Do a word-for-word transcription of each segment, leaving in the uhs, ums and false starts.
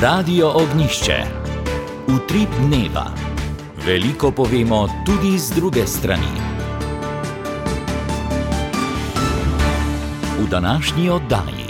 Radio Ognišče. Utrip dneva. Veliko povemo tudi z druge strani. V današnji oddaji.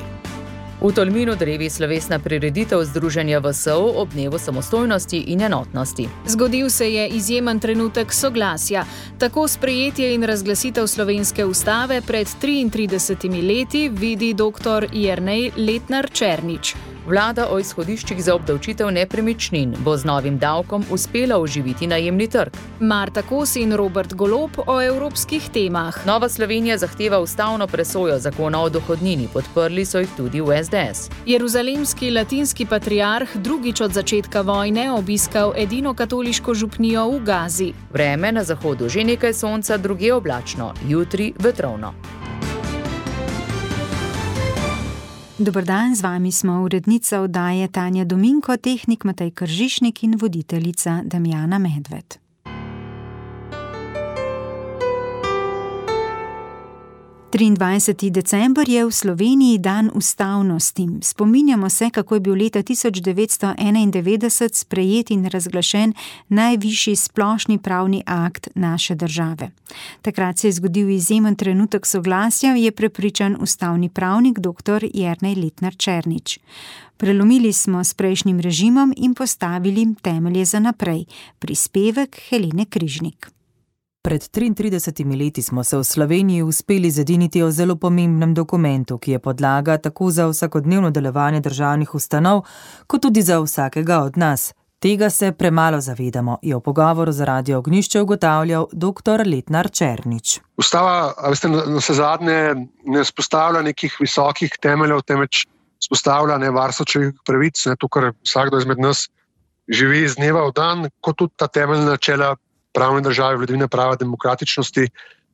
V Tolminu drevi slovesna prireditev Združenja V S O ob dnevu samostojnosti in enotnosti. Zgodil se je izjemen trenutek soglasja. Tako sprejetje in razglasitev slovenske ustave pred triintridesetimi leti vidi dr. Jernej Letnar Černič. Vlada o izhodiščih za obdavčitev nepremičnin bo z novim davkom uspela oživiti najemni trg. Marta Kos in Robert Golob o evropskih temah. Nova Slovenija zahteva ustavno presojo zakona o dohodnini, podprli so jih tudi v S D S. Jeruzalemski latinski patriarh drugič od začetka vojne obiskal edino katoliško župnijo v Gazi. Vreme na zahodu že nekaj sonca, drugje oblačno, jutri vetrovno. Dober dan, z vami smo urednica oddaje Tanja Dominko, tehnik Matej Kržišnik in voditeljica Damjana Medved. triindvajseti december je v Sloveniji dan ustavnosti. Spominjamo se, kako je bil leta tisoč devetsto enaindevetdeset sprejet in razglašen najvišji splošni pravni akt naše države. Takrat se je zgodil izjemen trenutek soglasja, je prepričan ustavni pravnik dr. Jernej Letnar Černič. Prelomili smo s prejšnjim režimom in postavili temelje za naprej. Prispevek Helene Križnik. Pred triintridesetimi leti smo se v Sloveniji uspeli zediniti o zelo pomembnem dokumentu, ki je podlaga tako za vsakodnevno delovanje državnih ustanov, kot tudi za vsakega od nas. Tega se premalo zavedamo, je v pogovoru za Radio Ognišče ugotavljal dr. Letnar Černič. Ustava, veste, na vse zadnje ne spostavlja nekih visokih temeljev, temveč spostavlja ne varstvo človekovih pravic, ne to, kar vsakdo izmed nas živi iz dneva v dan, kot tudi ta temeljna načela pravne države, vladavine prava, demokratičnosti,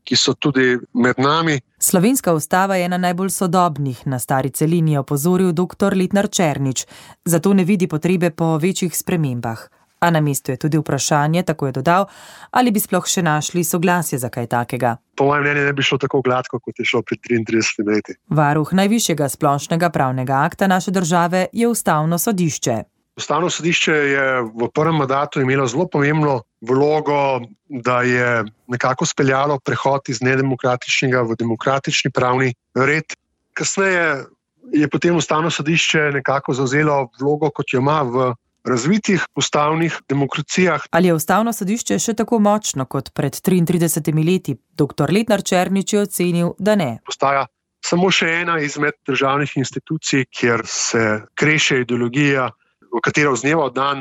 ki so tudi med nami. Slovenska ustava je ena najbolj sodobnih, na stari celini je opozoril dr. Letnar Černič, zato ne vidi potrebe po večjih spremembah. A na mestu je tudi vprašanje, tako je dodal, ali bi sploh še našli soglasje za kaj takega. Po mojem mnenju ne bi šlo tako gladko, kot je šlo pred triintridesetimi leti. Varuh najvišjega splošnega pravnega akta naše države je Ustavno sodišče. Ustavno sodišče je v prvem mandatu imelo zelo pomembno vlogo, da je nekako speljalo prehod iz nedemokratičnega v demokratični pravni red. Kasneje je potem Ustavno sodišče nekako zavzelo vlogo, kot jo ima v razvitih ustavnih demokracijah. Ali je Ustavno sodišče še tako močno kot pred triintridesetimi leti? dr. Letnar Černič je ocenil, da ne. Postaja samo še ena izmed državnih institucij, kjer se kreše ideologija, v katero z dneva v dan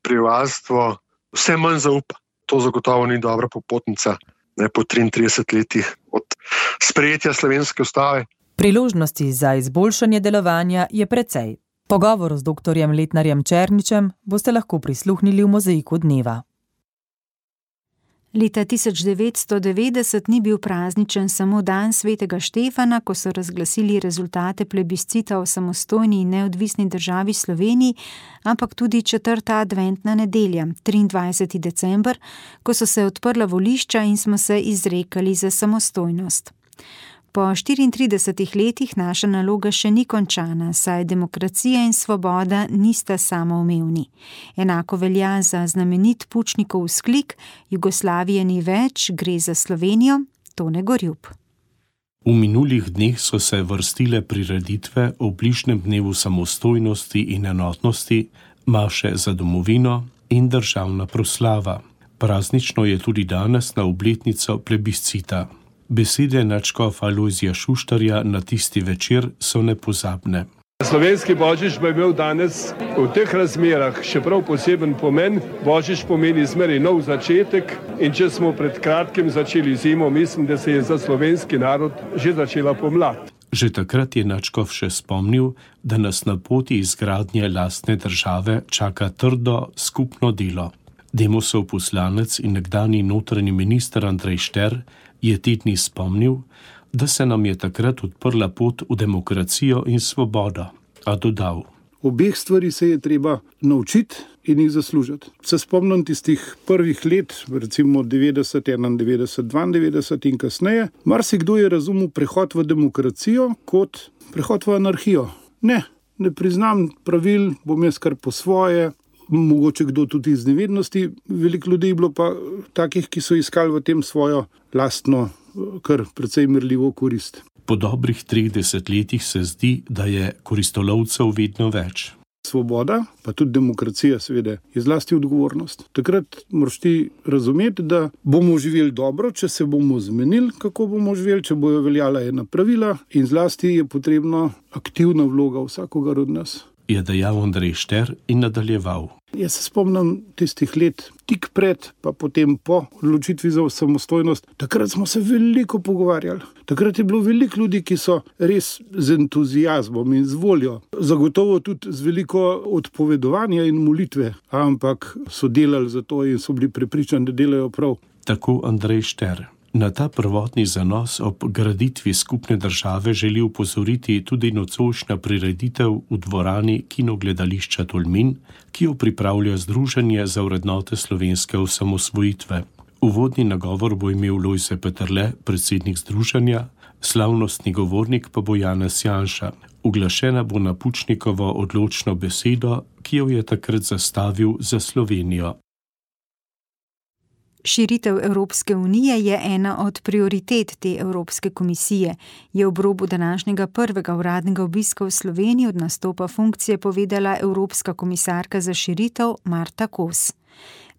prebivalstvo vse manj zaupa. To zagotovo ni dobra popotnica, ne, po triintridesetih letih od sprejetja slovenske ustave. Priložnosti za izboljšanje delovanja je precej. Pogovoru z doktorjem Letnarjem Černičem boste lahko prisluhnili v mozaiku dneva. Leta tisoč devetsto devetdeset ni bil prazničen samo dan svetega Štefana, ko so razglasili rezultate plebiscita o samostojni in neodvisni državi Sloveniji, ampak tudi četrta adventna nedelja, triindvajseti december, ko so se odprla volišča in smo se izrekali za samostojnost. Po štiriintridesetih letih naša naloga še ni končana, saj demokracija in svoboda nista samoumevni. Enako velja za znamenit Pučnikov vzklik: Jugoslavije ni več, gre za Slovenijo, Tone Gorjup. V minulih dneh so se vrstile prireditve o bližnjem dnevu samostojnosti in enotnosti, maše za domovino in državna proslava. Praznično je tudi danes na obletnico plebiscita. Besede nadškofa Lojzija Šuštarja na tisti večer so nepozabne. Slovenski božič bo imel danes v teh razmerah še prav poseben pomen. Božič pomeni zmeraj nov začetek in če smo pred kratkim začeli zimo, mislim, da se je za slovenski narod že začela pomlad. Že takrat je nadškof še spomnil, da nas na poti izgradnje lastne države čaka trdo skupno delo. Demosov poslanec in nekdanji notranji minister Andrej Šter je te dni spomnil, da se nam je takrat odprla pot v demokracijo in svobodo, a dodal: Obeh stvari se je treba naučiti in jih zaslužiti. Se spomnim tistih prvih let, recimo devetdeset, enaindevetdeset, dvaindevetdeset in kasneje, marsikdo je razumel prehod v demokracijo kot prehod v anarhijo. Ne, ne priznam pravil, bom jaz kar po svoje, mogoče kdo tudi iz nevednosti. Veliko ljudi je bilo pa takih, ki so iskali v tem svojo lastno, kar precej merljivo korist. Po dobrih treh desetletjih se zdi, da je koristolovcev vedno več. Svoboda, pa tudi demokracija seveda, je zlasti odgovornost. Takrat moraš ti razumeti, da bomo živeli dobro, če se bomo zmenili, kako bomo živeli, če bojo veljala ena pravila, in zlasti je potrebna aktivna vloga vsakogar od nas. Je dejal Andrej Šter in nadaljeval. Jaz se spomnim tistih let, tik pred, pa potem po odločitvi za samostojnost. Takrat smo se veliko pogovarjali. Takrat je bilo veliko ljudi, ki so res z entuziazmom in z voljo, zagotovo tudi z veliko odpovedovanja in molitve, ampak so delali za to in so bili prepričani, da delajo prav. Tako Andrej Šter. Na ta prvotni zanos ob graditvi skupne države želi upozoriti tudi nocojšnja prireditev v dvorani Kinogledališča Tolmin, ki jo pripravlja Združenje za vrednote slovenske osamosvojitve. Uvodni nagovor bo imel Lojze Peterle, predsednik združenja, slavnostni govornik pa bo Janez Janša. Uglašena bo na Pučnikovo odločno besedo, ki jo je takrat zastavil za Slovenijo. Širitev Evropske unije je ena od prioritet te Evropske komisije, je ob robu današnjega prvega uradnega obiska v Sloveniji od nastopa funkcije povedala Evropska komisarka za širitev Marta Kos.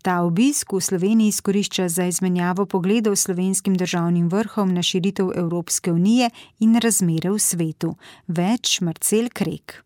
Ta obisk v Sloveniji izkorišča za izmenjavo pogledov slovenskim državnim vrhom na širitev Evropske unije in razmere v svetu. Več Marcel Krek.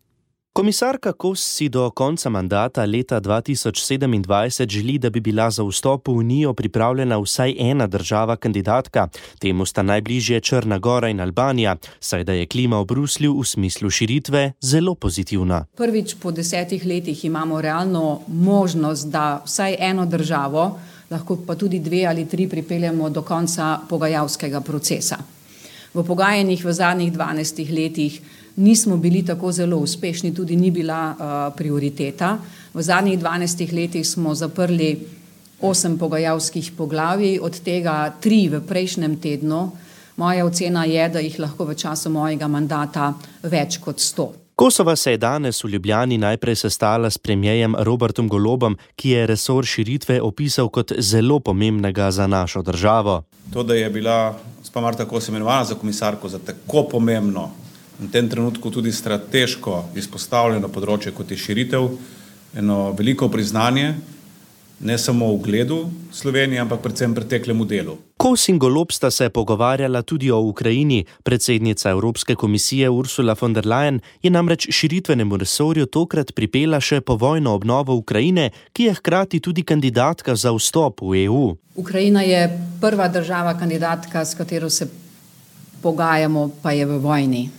Komisarka Kos si do konca mandata leta dva tisoč sedemindvajset želi, da bi bila za vstop v Unijo pripravljena vsaj ena država kandidatka. Temu sta najbližje Črna Gora in Albanija, saj da je klima v Bruslju v smislu širitve zelo pozitivna. Prvič po desetih letih imamo realno možnost, da vsaj eno državo, lahko pa tudi dve ali tri pripeljemo do konca pogajalskega procesa. V pogajanjih v zadnjih dvanajstih letih nismo bili tako zelo uspešni, tudi ni bila uh, prioriteta. V zadnjih dvanajstih letih smo zaprli osem pogajalskih poglavij, od tega tri v prejšnjem tednu. Moja ocena je, da jih lahko v času mojega mandata več kot sto. Kosova se je danes v Ljubljani najprej sestala s premierjem Robertom Golobom, ki je resor širitve opisal kot zelo pomembnega za našo državo. To, da je bila gospa Marta Kos imenovana za komisarko za tako pomembno in v tem trenutku tudi strateško izpostavljeno področje kot je širitev, eno veliko priznanje, ne samo v ugledu Slovenije, ampak predvsem preteklemu delu. Kos in Golob sta se pogovarjala tudi o Ukrajini. Predsednica Evropske komisije Ursula von der Leyen je namreč širitvenemu resorju tokrat pripela še povojno obnovo Ukrajine, ki je hkrati tudi kandidatka za vstop v E U. Ukrajina je prva država kandidatka, s katero se pogajamo, pa je v vojni.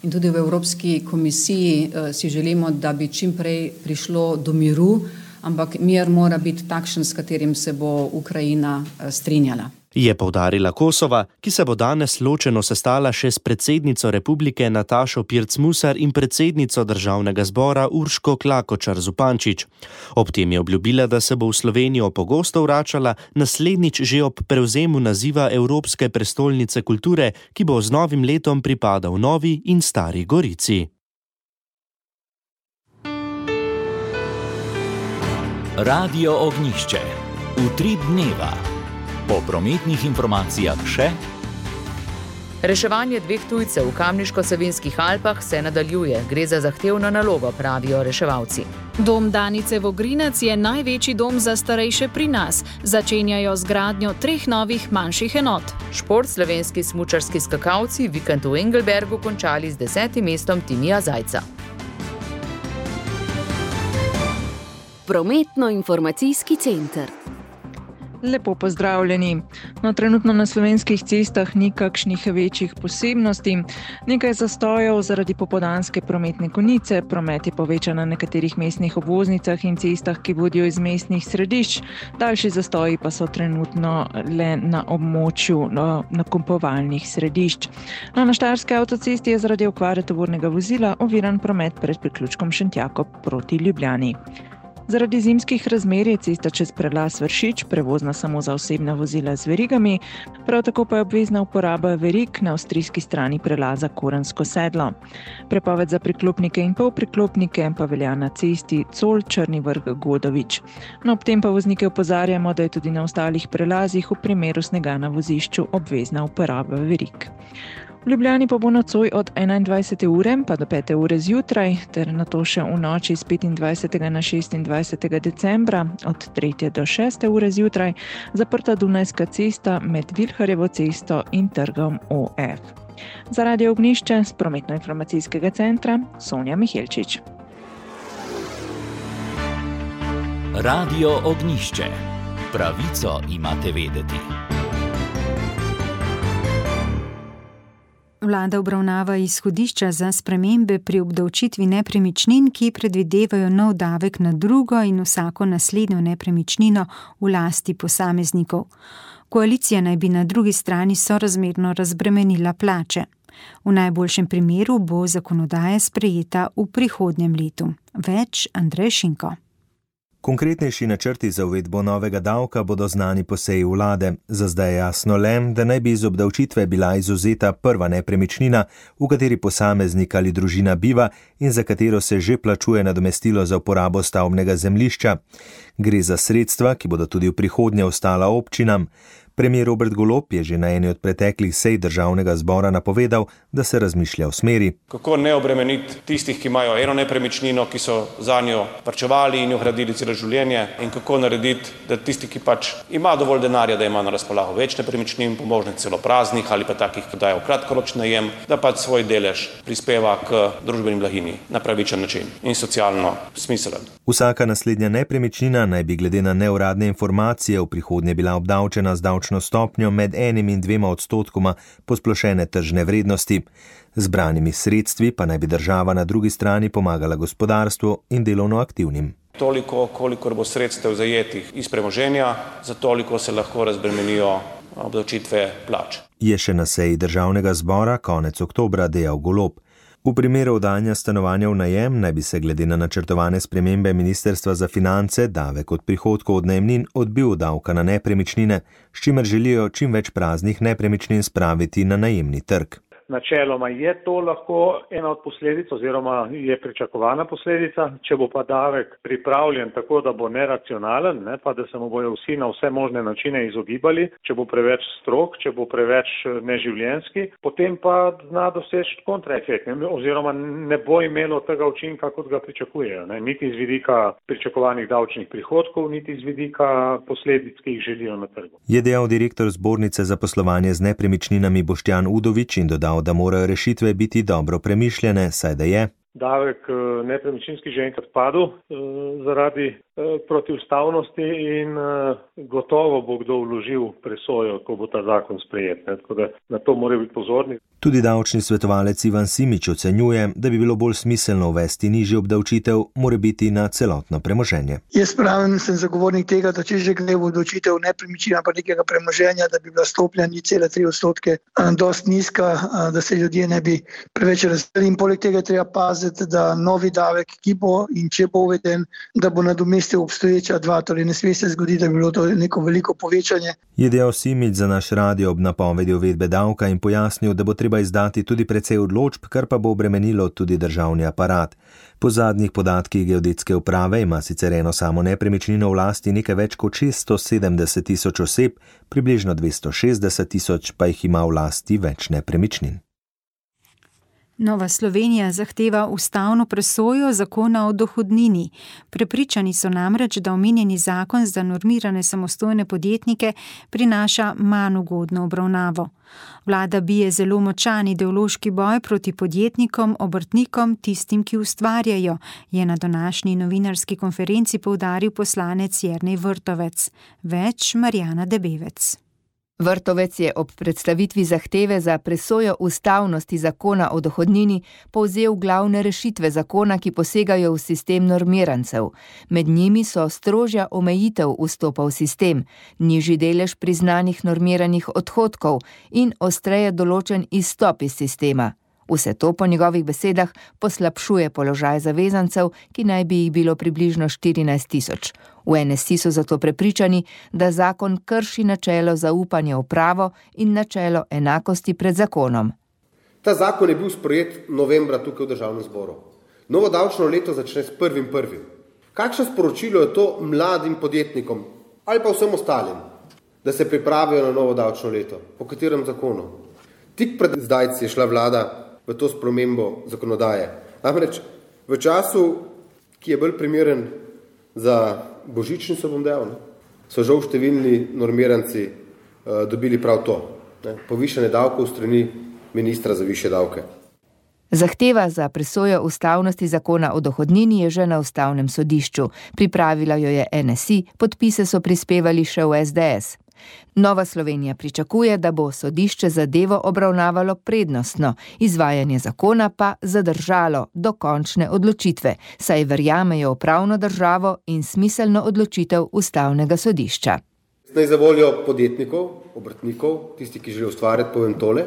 In tudi v Evropski komisiji uh, si želimo, da bi čim prej prišlo do miru, ampak mir mora biti takšen, s katerim se bo Ukrajina uh, strinjala. Je poudarila Kosova, ki se bo danes ločeno sestala še s predsednico republike Natašo Pirc-Musar in predsednico državnega zbora Urško Klakočar Zupančič. Ob tem je obljubila, da se bo v Slovenijo pogosto vračala, naslednjič že ob prevzemu naziva Evropske prestolnice kulture, ki bo z novim letom pripadal Novi in Stari Gorici. Radio Ognjišče. Utrip dneva. Po prometnih informacijah še. Reševanje dveh tujcev v Kamniško-Savinjskih Alpah se nadaljuje. Gre za zahtevno nalogo, pravijo reševalci. Dom Danice Vogrinec je največji dom za starejše pri nas. Začenjajo z gradnjo treh novih manjših enot. Šport slovenski smučarski skakalci vikend v Engelbergu končali z desetim mestom Timija Zajca. Prometno-informacijski center. Lepo pozdravljeni. No, trenutno na slovenskih cestah ni kakšnih večjih posebnosti. Nekaj zastojev zaradi popoldanske prometne konice, promet je povečan na nekaterih mestnih obvoznicah in cestah, ki vodijo iz mestnih središč. Daljši zastoji pa so trenutno le na območju nakupovalnih središč. No, na Štajerski avtocesti je zaradi okvare tovornega vozila oviran promet pred priključkom Šentjakov proti Ljubljani. Zaradi zimskih razmer je cesta čez prelaz Vršič prevozna samo za osebna vozila z verigami, prav tako pa je obvezna uporaba verig na avstrijski strani prelaza Korensko sedlo. Prepoved za priklopnike in polpriklopnike pa velja na cesti Col Črni Vrh Godovič. No, ob tem pa voznike opozarjamo, da je tudi na ostalih prelazih v primeru snega na vozišču obvezna uporaba verig. V Ljubljani pa bo nocoj od enaindvajsete ure pa do pete ure zjutraj, ter nato še v noči z petindvajsetega na šestindvajsetega decembra od tretje do šeste ure zjutraj zaprta Dunajska cesta med Vilharjevo cesto in trgom O F. Za Radio Ognjišče z prometno-informacijskega centra Sonja Mihelčič. Radio Ognjišče. Pravico imate vedeti. Vlada obravnava izhodišča za spremembe pri obdavčitvi nepremičnin, ki predvidevajo nov davek na drugo in vsako naslednjo nepremičnino v lasti posameznikov. Koalicija naj bi na drugi strani sorazmerno razbremenila plače. V najboljšem primeru bo zakonodaja sprejeta v prihodnjem letu. Več Andrej Šinko. Konkretnejši načrti za uvedbo novega davka bodo znani po seji vlade. Za zdaj je jasno le, da naj bi iz obdavčitve bila izvzeta prva nepremičnina, v kateri posameznik ali družina biva in za katero se že plačuje nadomestilo za uporabo stavbnega zemljišča. Gre za sredstva, ki bodo tudi v prihodnje ostala občinam. Premier Robert Golob je že na eni od preteklih sej državnega zbora napovedal, da se razmišlja v smeri. Kako ne obremeniti tistih, ki imajo eno nepremičnino, ki so za njo varčevali in jo gradili celo življenje, in kako narediti, da tisti, ki pač ima dovolj denarja, da ima na razpolago več nepremičnin, pomožnih celo praznih ali pa takih, ki dajo kratkoročni najem, da pač svoj delež prispeva k družbeni blaginji na pravičen način in socialno smiselen. Vsaka naslednja nepremičnina naj bi glede na neuradne informacije v prihodnje bila obdavčena z davčno stopnjo med enim in dvema odstotkoma posplošene tržne vrednosti. Zbranimi sredstvi pa naj bi država na drugi strani pomagala gospodarstvu in delovno aktivnim. Toliko, kolikor bo sredstev zajetih iz premoženja, za toliko se lahko razbremenijo obdavčitve plač. Je še na seji državnega zbora konec oktobra dejal Golob. V primeru oddajanja stanovanja v najem naj bi se glede na načrtovane spremembe Ministrstva za finance davek od prihodkov od najemnin odbil od davka na nepremičnine, s čimer želijo čim več praznih nepremičnin spraviti na najemni trg. Načeloma je to lahko ena od posledic oziroma je pričakovana posledica, če bo pa davek pripravljen tako, da bo neracionalen, ne, pa da se mu bojo vsi na vse možne načine izogibali, če bo preveč strog, če bo preveč neživljenjski, potem pa zna doseči kontraefekt oziroma ne bo imelo tega učinka, kot ga pričakujejo, ne, niti z vidika pričakovanih davčnih prihodkov, niti z vidika posledic, ki jih želijo na trgu. Je dejal direktor Zbornice za poslovanje z nepremičninami Boštjan Udovič in dodal, da morajo rešitve biti dobro premišljene, saj da je davek nepremičninski že enkrat padel zaradi protiustavnosti in gotovo bo kdo vložil presojo, ko bo ta zakon sprejet. Tako da na to morajo biti pozorni. Tudi davčni svetovalec Ivan Simič ocenjuje, da bi bilo bolj smiselno uvesti nižjo obdavčitev, mora biti na celotno premoženje. Jaz pravim, sem zagovornik tega, da če že gre v obdavčitev nepremičnina pa nekega premoženja, da bi bila stopnja nič cela tri odstotke dost nizka, da se ljudje ne bi preveč razdelili in poleg tega treba paziti, da novi davek, ki bo in če bo uveden, da bo nadomestil obstoječa dva, torej ne sme se zgoditi, da bi bilo to neko veliko povečanje. Je dejal Simič za naš radio ob napovedi uvedbe davka in pojasnil, da bo treba izdati tudi precej odločb, kar pa bo obremenilo tudi državni aparat. Po zadnjih podatkih geodetske uprave ima sicer eno samo nepremičnino v lasti nekaj več kot šeststo sedemdeset tisoč oseb, približno dvesto šestdeset tisoč pa jih ima v lasti več nepremičnin. Nova Slovenija zahteva ustavno presojo zakona o dohodnini. Prepričani so namreč, da omenjeni zakon za normirane samostojne podjetnike prinaša manj ugodno obravnavo. Vlada bije zelo močan ideološki boj proti podjetnikom, obrtnikom, tistim, ki ustvarjajo, je na današnji novinarski konferenci poudaril poslanec Jernej Vrtovec. Več Marjana Debevec. Vrtovec je ob predstavitvi zahteve za presojo ustavnosti zakona o dohodnini povzel glavne rešitve zakona, ki posegajo v sistem normirancev. Med njimi so strožja omejitev vstopa v sistem, nižji delež priznanih normiranih odhodkov in ostreje določen izstop iz sistema. Vse to po njegovih besedah poslabšuje položaj zavezancev, ki naj bi jih bilo približno štirinajst tisoč. V N S I so zato prepričani, da zakon krši načelo zaupanja v pravo in načelo enakosti pred zakonom. Ta zakon je bil sprejet novembra tukaj v Državnem zboru. Novo davčno leto začne s prvim prvim. Kakšno sporočilo je to mladim podjetnikom ali pa vsem ostalim, da se pripravijo na novo davčno leto? Po katerem zakonu? Tik pred zdajci je šla vlada v to spremembo zakonodaje. Namreč v času, ki je bolj primeren za božičnico, bom dejal, ne, so žal številni normiranci uh, dobili prav to. Ne, povišanje davkov strani ministra za višje davke. Zahteva za presojo ustavnosti zakona o dohodnini je že na ustavnem sodišču. Pripravila jo je N S I, podpise so prispevali še v S D S. Nova Slovenija pričakuje, da bo sodišče zadevo obravnavalo prednostno, izvajanje zakona pa zadržalo do končne odločitve, saj verjamejo v pravno državo in smiselno odločitev ustavnega sodišča. Naj za voljo podjetnikov, obrtnikov, tisti, ki želijo ustvarjati, povem tole,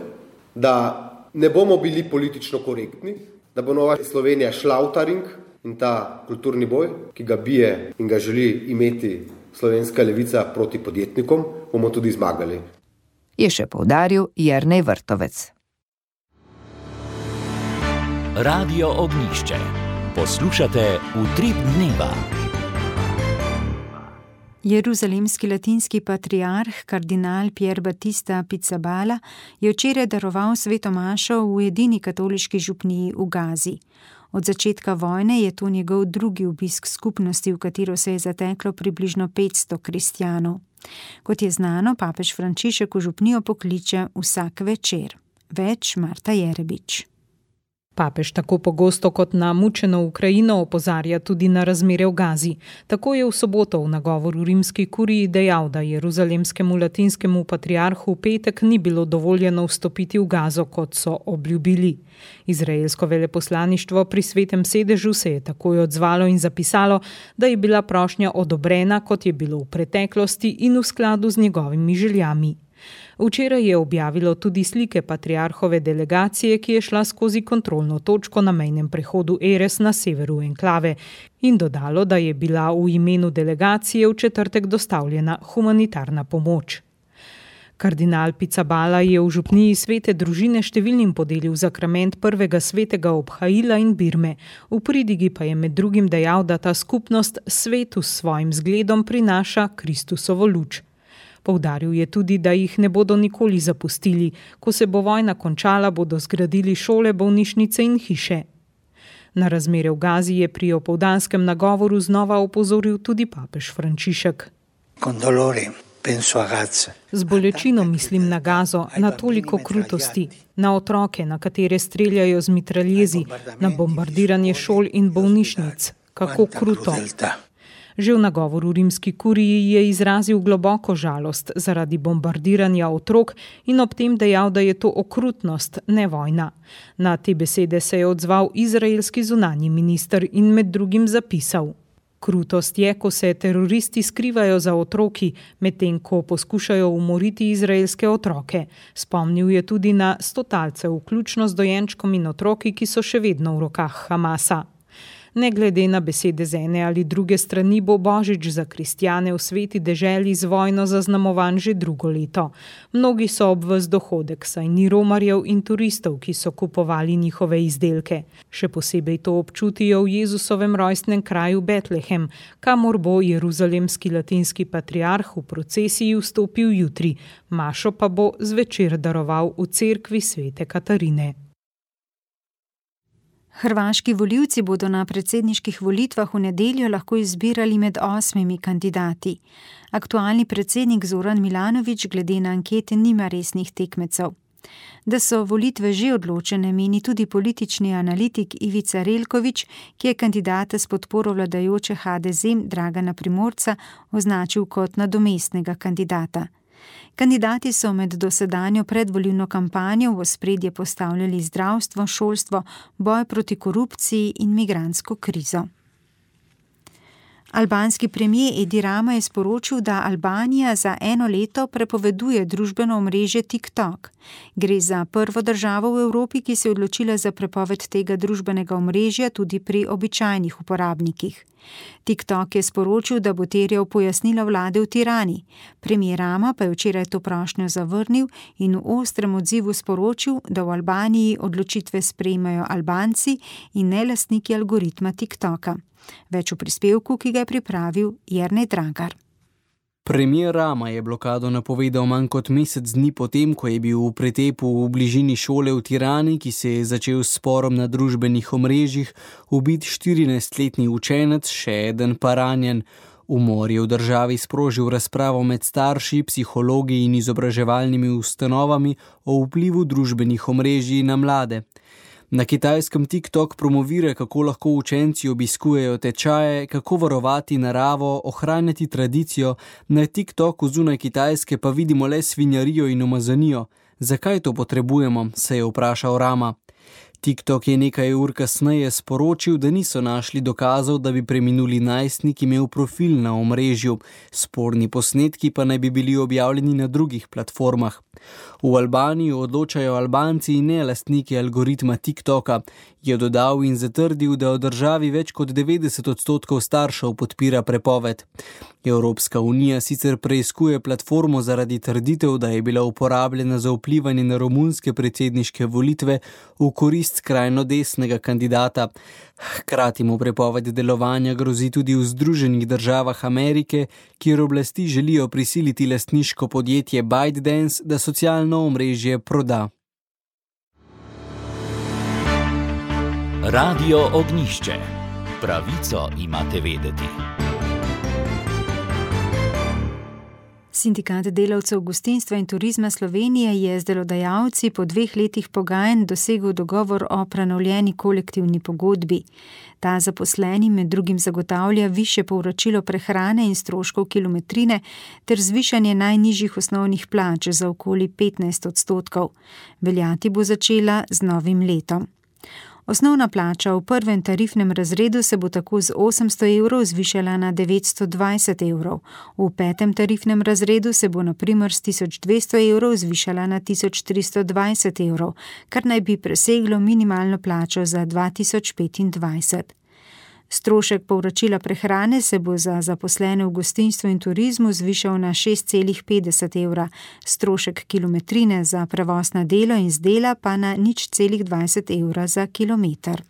da ne bomo bili politično korektni, da bo Nova Slovenija šla v ta ring in ta kulturni boj, ki ga bije in ga želi imeti slovenska levica proti podjetnikom, bomo tudi zmagali. Je še poudaril Jernej Vrtovec. Radio Ognjišče. Poslušate Utrip dneva. Jeruzalemski latinski patriarh, kardinal Pier Battista Pizzaballa, je včeraj daroval sveto mašo v edini katoliški župniji v Gazi. Od začetka vojne je to njegov drugi obisk skupnosti, v katero se je zateklo približno petsto kristjanov. Kot je znano, papež Frančišek v župnijo pokliče vsak večer. Več Marta Jerebič. Papež tako pogosto kot na mučeno Ukrajino opozarja tudi na razmere v Gazi. Tako je v soboto v nagovoru rimski kuriji dejal, da jeruzalemskemu latinskemu patriarhu v petek ni bilo dovoljeno vstopiti v Gazo, kot so obljubili. Izraelsko veleposlaništvo pri Svetem sedežu se je takoj odzvalo in zapisalo, da je bila prošnja odobrena, kot je bilo v preteklosti in v skladu z njegovimi željami. Včeraj je objavilo tudi slike patriarhove delegacije, ki je šla skozi kontrolno točko na mejnem prehodu Erez na severu enklave in dodalo, da je bila v imenu delegacije v četrtek dostavljena humanitarna pomoč. Kardinal Pizzaballa je v župniji svete družine številnim podelil zakrament prvega svetega obhajila in birme. V pridigi pa je med drugim dejal, da ta skupnost svetu s svojim zgledom prinaša Kristusovo luč. Poudaril je tudi, da jih ne bodo nikoli zapustili. Ko se bo vojna končala, bodo zgradili šole, bolnišnice in hiše. Na razmere v Gazi je pri opoldanskem nagovoru znova opozoril tudi papež Frančišek. Z bolečino mislim na Gazo, na toliko krutosti, na otroke, na katere streljajo z mitraljezi, na bombardiranje šol in bolnišnic. Kako kruto. Že v nagovoru rimski kuriji je izrazil globoko žalost zaradi bombardiranja otrok in ob tem dejal, da je to okrutnost, ne vojna. Na te besede se je odzval izraelski zunanji minister in med drugim zapisal: Krutost je, ko se teroristi skrivajo za otroki, medtem ko poskušajo umoriti izraelske otroke. Spomnil je tudi na stotalce, vključno z dojenčkom in otroki, ki so še vedno v rokah Hamasa. Ne glede na besede z ene ali druge strani bo božič za kristjane v sveti deželi z vojno zaznamovan že drugo leto. Mnogi so ob ves dohodek, saj ni romarjev in turistov, ki so kupovali njihove izdelke. Še posebej to občutijo v Jezusovem rojstnem kraju Betlehem, kamor bo jeruzalemski latinski patriarh v procesiji vstopil jutri. Mašo pa bo zvečer daroval v cerkvi svete Katarine. Hrvaški volivci bodo na predsedniških volitvah v nedeljo lahko izbirali med osmimi kandidati. Aktualni predsednik Zoran Milanović glede na ankete nima resnih tekmecev. Da so volitve že odločene, meni tudi politični analitik Ivica Relković, ki je kandidata s podporo vladajoče H D Z Dragana Primorca označil kot nadomestnega kandidata. Kandidati so med dosedanjo predvolilno kampanjo v ospredje postavljali zdravstvo, šolstvo, boj proti korupciji in migrantsko krizo. Albanski premijer Edi Rama je sporočil, da Albanija za eno leto prepoveduje družbeno omrežje TikTok. Gre za prvo državo v Evropi, ki se je odločila za prepoved tega družbenega omrežja tudi pri običajnih uporabnikih. TikTok je sporočil, da bo terjal pojasnila vlade v Tirani. Premijer Rama pa je včeraj to prošnjo zavrnil in v ostrem odzivu sporočil, da v Albaniji odločitve sprejmejo Albanci in ne lastniki algoritma TikToka. Več v prispevku, ki ga je pripravil Jernej Dragar. Premijer Rama je blokado napovedal manj kot mesec dni potem, ko je bil v pretepu v bližini šole v Tirani, ki se je začel s sporom na družbenih omrežjih, ubit štirinajstletni učenec, še eden pa ranjen. Umor je v državi sprožil razpravo med starši, psihologi in izobraževalnimi ustanovami o vplivu družbenih omrežij na mlade. Na kitajskem TikTok promovira, kako lahko učenci obiskujejo tečaje, kako varovati naravo, ohranjati tradicijo, na TikToku zunaj Kitajske pa vidimo le svinjarijo in umazanijo. Zakaj to potrebujemo, se je vprašal Rama. TikTok je nekaj ur kasneje sporočil, da niso našli dokazov, da bi preminuli najstnik imel profil na omrežju. Sporni posnetki pa naj bi bili objavljeni na drugih platformah. V Albaniji odločajo Albanci in ne lastniki algoritma TikToka, je dodal in zatrdil, da v državi več kot devetdeset odstotkov staršev podpira prepoved. Evropska unija sicer preiskuje platformo zaradi trditev, da je bila uporabljena za vplivanje na romunske predsedniške volitve v korist skrajno desnega kandidata. Hkrati mu prepoved delovanja grozi tudi v Združenih državah Amerike, kjer oblasti želijo prisiliti lastniško podjetje ByteDance, da socialno omrežje proda. Radio Ognjišče. Pravico imate vedeti. Sindikat delavcev gostinstva in turizma Slovenije je z delodajalci po dveh letih pogajanj dosegel dogovor o prenovljeni kolektivni pogodbi. Ta zaposlenim med drugim zagotavlja višje povračilo prehrane in stroškov kilometrine ter zvišanje najnižjih osnovnih plač za okoli petnajst odstotkov. Veljati bo začela z novim letom. Osnovna plača v prvem tarifnem razredu se bo tako z osemsto evrov zvišala na devetsto dvajset evrov. V petem tarifnem razredu se bo na primer s tisoč dvesto evrov zvišala na tisoč tristo dvajset evrov, kar naj bi preseglo minimalno plačo za dva tisoč petindvajset. Strošek povračila prehrane se bo za zaposlene v gostinstvu in turizmu zvišal na šest celih petdeset evra, strošek kilometrine za prevoz na delo in z dela pa na nič celih dvajset evra za kilometer.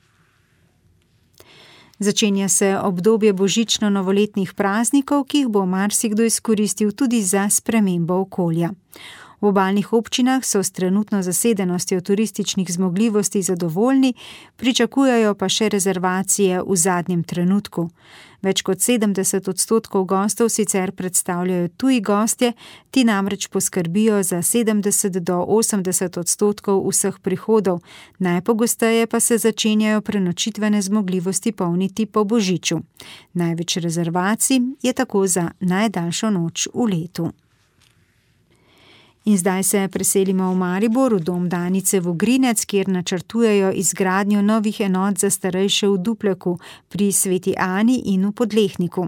Začenja se obdobje božično-novoletnih praznikov, ki jih bo marsikdo izkoristil tudi za spremembo okolja. V obalnih občinah so s trenutno zasedenostjo turističnih zmogljivosti zadovoljni, pričakujejo pa še rezervacije v zadnjem trenutku. Več kot sedemdeset odstotkov gostov sicer predstavljajo tuji gostje, ti namreč poskrbijo za sedemdeset do osemdeset odstotkov vseh prihodov, najpogosteje pa se začenjajo prenočitvene zmogljivosti polniti po božiču. Največ rezervacij je tako za najdaljšo noč v letu. In zdaj se preselimo v Maribor, v dom Danice Vogrinec, kjer načrtujejo izgradnjo novih enot za starejše v Dupleku, pri Sveti Ani in v Podlehniku.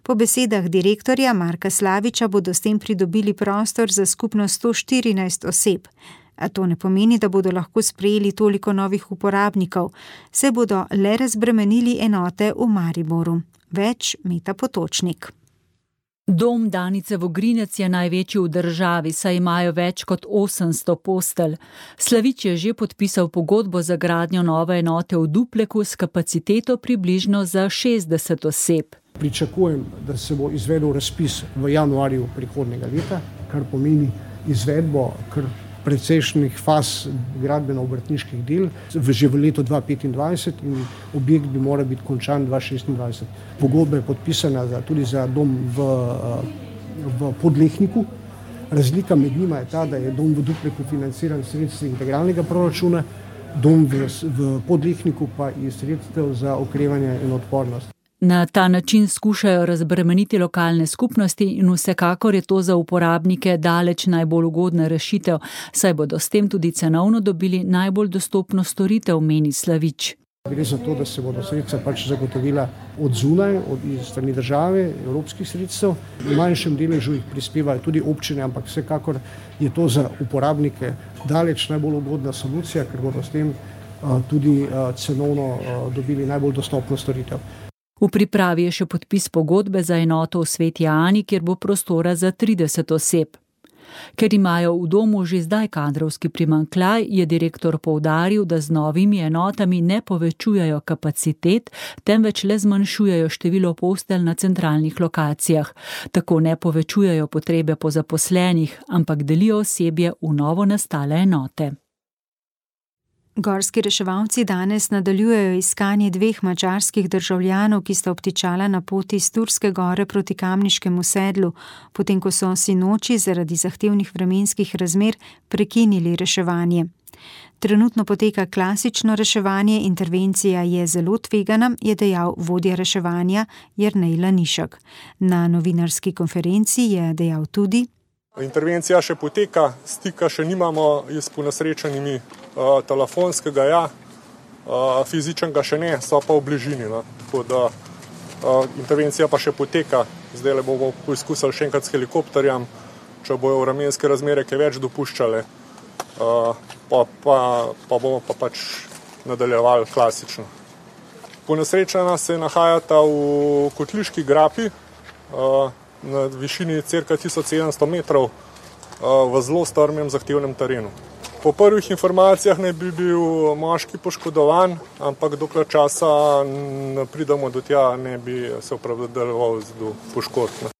Po besedah direktorja Marka Slaviča bodo s tem pridobili prostor za skupno sto štirinajst oseb. A to ne pomeni, da bodo lahko sprejeli toliko novih uporabnikov, se bodo le razbremenili enote v Mariboru. Več Meta Potočnik. Dom Danice Vogrinec je največji v državi, saj imajo več kot osemsto postelj. Slavič je že podpisal pogodbo za gradnjo nove enote v Dupleku s kapaciteto približno za šestdeset oseb. Pričakujem, da se bo izvedel razpis v januarju prihodnjega leta, kar pomeni izvedbo kar precejšnjih faz gradbeno-obrtniških del že v letu dva tisoč petindvajset in objekt bi moral biti končan dva tisoč šestindvajset. Pogodba je podpisana za, tudi za dom v, v Podlehniku. Razlika med njima je ta, da je dom v Dupleku financiran sredstvi integralnega proračuna, dom v, v Podlehniku pa iz sredstev za okrevanje in odpornost. Na ta način skušajo razbremeniti lokalne skupnosti in vsekakor je to za uporabnike daleč najbolj ugodna rešitev, saj bodo s tem tudi cenovno dobili najbolj dostopno storitev, meni Slavič. Gre za to, da se bodo sredstva pač zagotovila od zunaj, od strani države, evropskih sredstev. V manjšem deležu jih prispevajo tudi občine, ampak vsekakor je to za uporabnike daleč najbolj ugodna solucija, ker bodo s tem tudi cenovno dobili najbolj dostopno storitev. V pripravi je še podpis pogodbe za enoto v Sveti Ani, kjer bo prostora za trideset oseb. Ker imajo v domu že zdaj kadrovski primanjkljaj, je direktor poudaril, da z novimi enotami ne povečujejo kapacitet, temveč le zmanjšujejo število postelj na centralnih lokacijah. Tako ne povečujejo potrebe po zaposlenih, ampak delijo osebje v novo nastale enote. Gorski reševalci danes nadaljujejo iskanje dveh madžarskih državljanov, ki sta obtičala na poti iz Turske gore proti Kamniškemu sedlu, potem ko so sinoči zaradi zahtevnih vremenskih razmer prekinili reševanje. Trenutno poteka klasično reševanje, intervencija je zelo tvegana, je dejal vodja reševanja Jernej Lanišek. Na novinarski konferenci je dejal tudi: Intervencija še poteka, stika še nimamo s ponesrečenimi, uh, telefonskega ja, uh, fizičnega še ne, so pa v bližini. No. Tako da uh, intervencija pa še poteka, zdaj le bomo poizkusili še enkrat s helikopterjem, če bojo vremenske razmere kaj več dopuščale, uh, pa, pa, pa bomo pa pač nadaljevali klasično. Ponesrečena se nahajata v Kotliški grapi, uh, na višini cirka tisoč sedemsto metrov v zelo strmem zahtevnem terenu. Po prvih informacijah naj bi bil moški poškodovan, ampak dokler časa ne pridemo do tja, ne bi se opravdaloval do poškodb.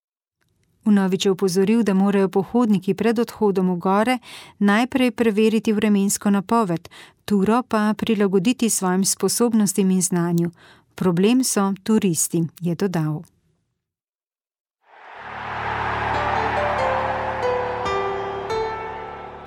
Vnovič je opozoril, da morajo pohodniki pred odhodom v gore najprej preveriti vremensko napoved, turo pa prilagoditi svojim sposobnostim in znanju. Problem so turisti, je dodal.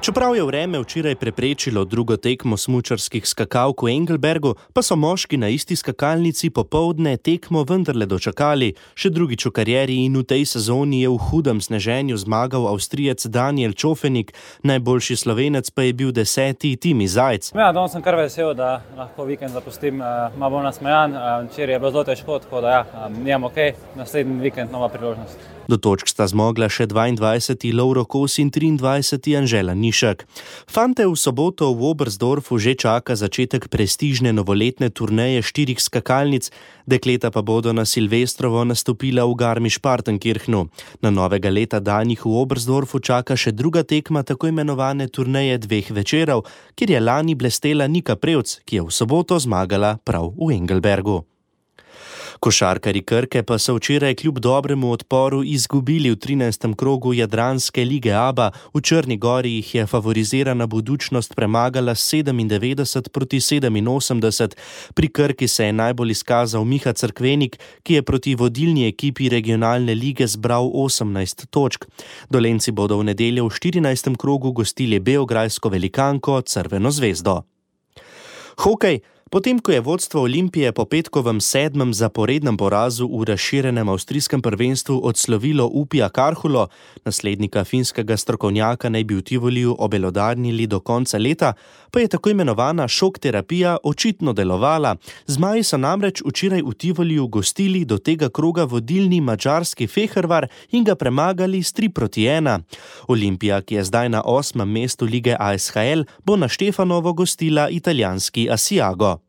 Čeprav je vreme včeraj preprečilo drugo tekmo smučarskih skakalk v Engelbergu, pa so moški na isti skakalnici popoldne tekmo vendarle dočakali. Še drugič v karieri in v tej sezoni je v hudem sneženju zmagal Avstrijec Daniel Čofenik, najboljši Slovenec pa je bil deseti Timi Zajc. Ja, danes sem kar vesel, da lahko vikend zapustim, malo bolj nasmejan. Včeraj je bilo zelo težko, tako da ja, nimam ok, naslednji vikend nova priložnost. Do točk sta zmogla še dvaindvajseti Lovro Kos in triindvajseti Anžela Nišek. Fante v soboto v Oberstdorfu že čaka začetek prestižne novoletne turneje štirih skakalnic, dekleta pa bodo na Silvestrovo nastopila v Garmisch-Partenkirchnu. Na novega leta dan jih v Oberstdorfu čaka še druga tekma tako imenovane turneje dveh večerov, kjer je lani blestela Nika Prevc, ki je v soboto zmagala prav v Engelbergu. Košarkarji Krke pa so včeraj kljub dobremu odporu izgubili v trinajstem krogu Jadranske lige A B A. V Črni Gori jih je favorizirana Budućnost premagala sedemindevetdeset proti sedeminosemdeset. Pri Krki se je najbolj izkazal Miha Cerkvenik, ki je proti vodilni ekipi regionalne lige zbral osemnajst točk. Dolenci bodo v nedeljo v štirinajstem krogu gostili beograjsko velikanko Crveno zvezdo. Hokej. Potem, ko je vodstvo Olimpije po petkovem sedmem zaporednem porazu v razširjenem avstrijskem prvenstvu odslovilo Upija Karhulo, naslednika finskega strokovnjaka naj bi v Tivoliju obelodarnili do konca leta, pa je tako imenovana šok terapija očitno delovala. Zmaji so namreč včeraj v Tivoliju gostili do tega kroga vodilni madžarski Fehervar in ga premagali s tri proti ena. Olimpija, ki je zdaj na osmem mestu lige A S H L, bo na Štefanovo gostila italijanski Asiago.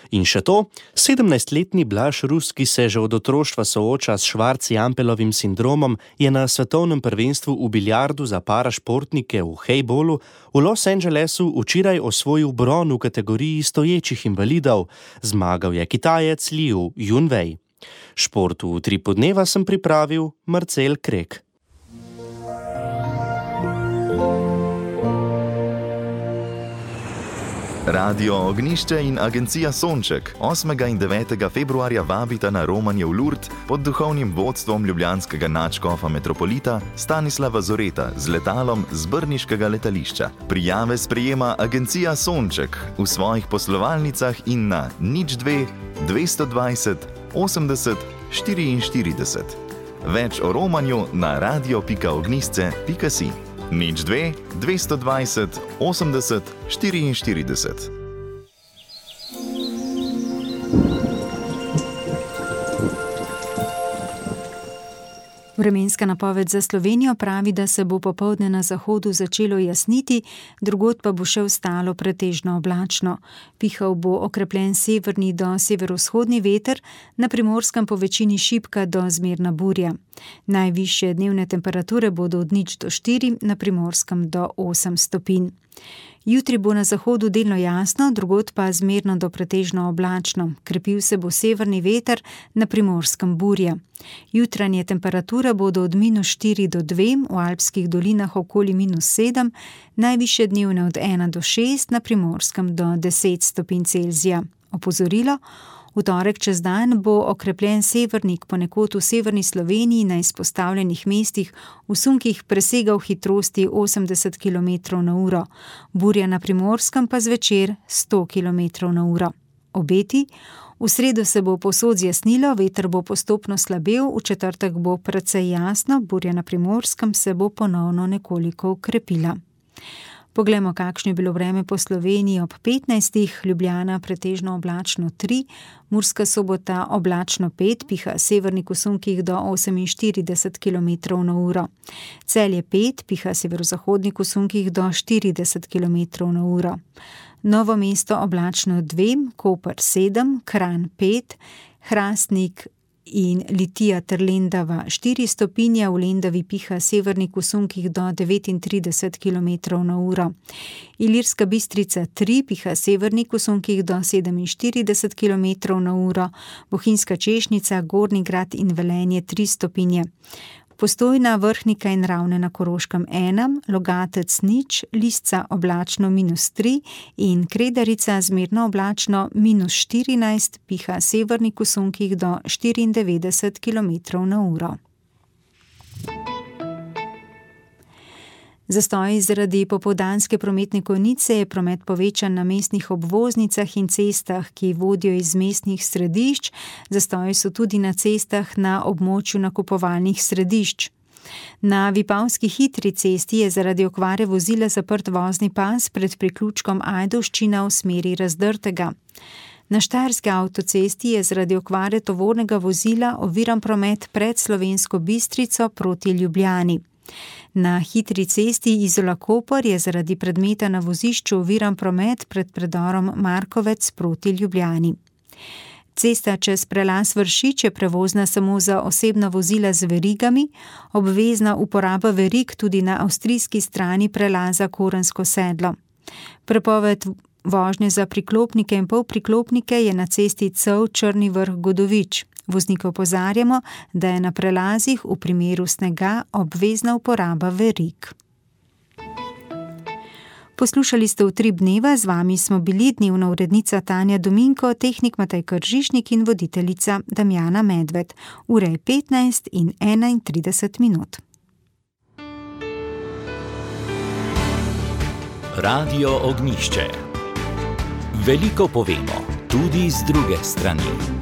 In še to, sedemnajstletni Blaž Rus, ki se že od otroštva sooča s Schwarz-Jampelovim sindromom, je na svetovnem prvenstvu v biljardu za parašportnike v hejbolu v Los Angelesu včeraj osvojil bron v kategoriji stoječih invalidov. Zmagal je Kitajec Liu Junwei. Športu v Utripu dneva sem pripravil Marcel Krek. Radio Ognišče in agencija Sonček osmega in devetega februarja vabita na romanje v Lourdes pod duhovnim vodstvom ljubljanskega nadškofa metropolita Stanislava Zoreta z letalom z brniškega letališča. Prijave sprejema agencija Sonček v svojih poslovalnicah in na nič dve dvesto dvajset osemdeset štiriinštirideset. Več o romanju na radio pika ognisce pika si. nič dve dvesto dvajset osemdeset štiriinštirideset. Vremenska napoved za Slovenijo pravi, da se bo popoldne na zahodu začelo jasniti, drugod pa bo še ostalo pretežno oblačno. Pihal bo okrepljen severni do severovzhodni veter, na Primorskem po večini šibka do zmerna burja. Najvišje dnevne temperature bodo od nič do štiri, na Primorskem do osem stopinj. Jutri bo na zahodu delno jasno, drugod pa zmerno do pretežno oblačno. Krepil se bo severni veter, na Primorskem burja. Jutranje temperature bodo od minus štiri do dve, v alpskih dolinah okoli minus sedem, najvišje dnevne od ena do šest, na Primorskem do deset stopinj Celzija. Opozorilo: v torek čez dan bo okrepljen severnik ponekod v severni Sloveniji na izpostavljenih mestih v sunkih presegal hitrosti osemdeset kilometrov na uro, burja na Primorskem pa zvečer sto kilometrov na uro. Obeti: v sredo se bo povsod zjasnilo, veter bo postopno slabel, v četrtek bo precej jasno, burja na Primorskem se bo ponovno nekoliko okrepila. Poglejmo, kakšno je bilo vreme po Sloveniji ob petnajstih, Ljubljana pretežno oblačno tri, Murska Sobota oblačno pet, piha severnik v sunkih do oseminštirideset kilometrov na uro. Celje pet, piha severozahodnik v sunkih do štirideset kilometrov na uro. Novo Mesto oblačno dve, Koper sedem, Kranj pet, Hrastnik in Litija ter Lendava štiri stopinje, v Lendavi piha severnik v sunkih do devetintrideset kilometrov na uro. Ilirska Bistrica tri, piha severnik v sunkih do sedeminštirideset kilometrov na uro, Bohinjska Češnica, Gornji Grad in Velenje tri stopinje. Postojna, Vrhnika in Ravne na Koroškem ena, Logatec nič, Lisca oblačno minus tri in Kredarica zmerno oblačno minus štirinajst, piha severnik v sunkih do štiriindevetdeset kilometrov na uro. Zastoji zaradi popoldanske prometne konice je promet povečan na mestnih obvoznicah in cestah, ki vodijo iz mestnih središč. Zastoji so tudi na cestah na območju nakupovalnih središč. Na Vipavski hitri cesti je zaradi okvare vozila zaprt vozni pas pred priključkom Ajdovščina v smeri Razdrtega. Na Štajerski avtocesti je zaradi okvare tovornega vozila oviran promet pred Slovensko Bistrico proti Ljubljani. Na hitri cesti Izola-Koper je zaradi predmeta na vozišču oviran promet pred predorom Markovec proti Ljubljani. Cesta čez prelaz Vršič je prevozna samo za osebna vozila z verigami, obvezna uporaba verig tudi na avstrijski strani prelaza Korensko sedlo. Prepoved vožnje za priklopnike in polpriklopnike je na cesti Cev-Črni Vrh-Godovič. Voznike opozarjamo, da je na prelazih v primeru snega obvezna uporaba verig. Poslušali ste Utrip dneva, z vami smo bili dnevna urednica Tanja Dominko, tehnik Matej Kržišnik in voditeljica Damjana Medved. Ura je petnajst in enaintrideset minut. Radio Ognjišče. Veliko povemo, tudi z druge strani.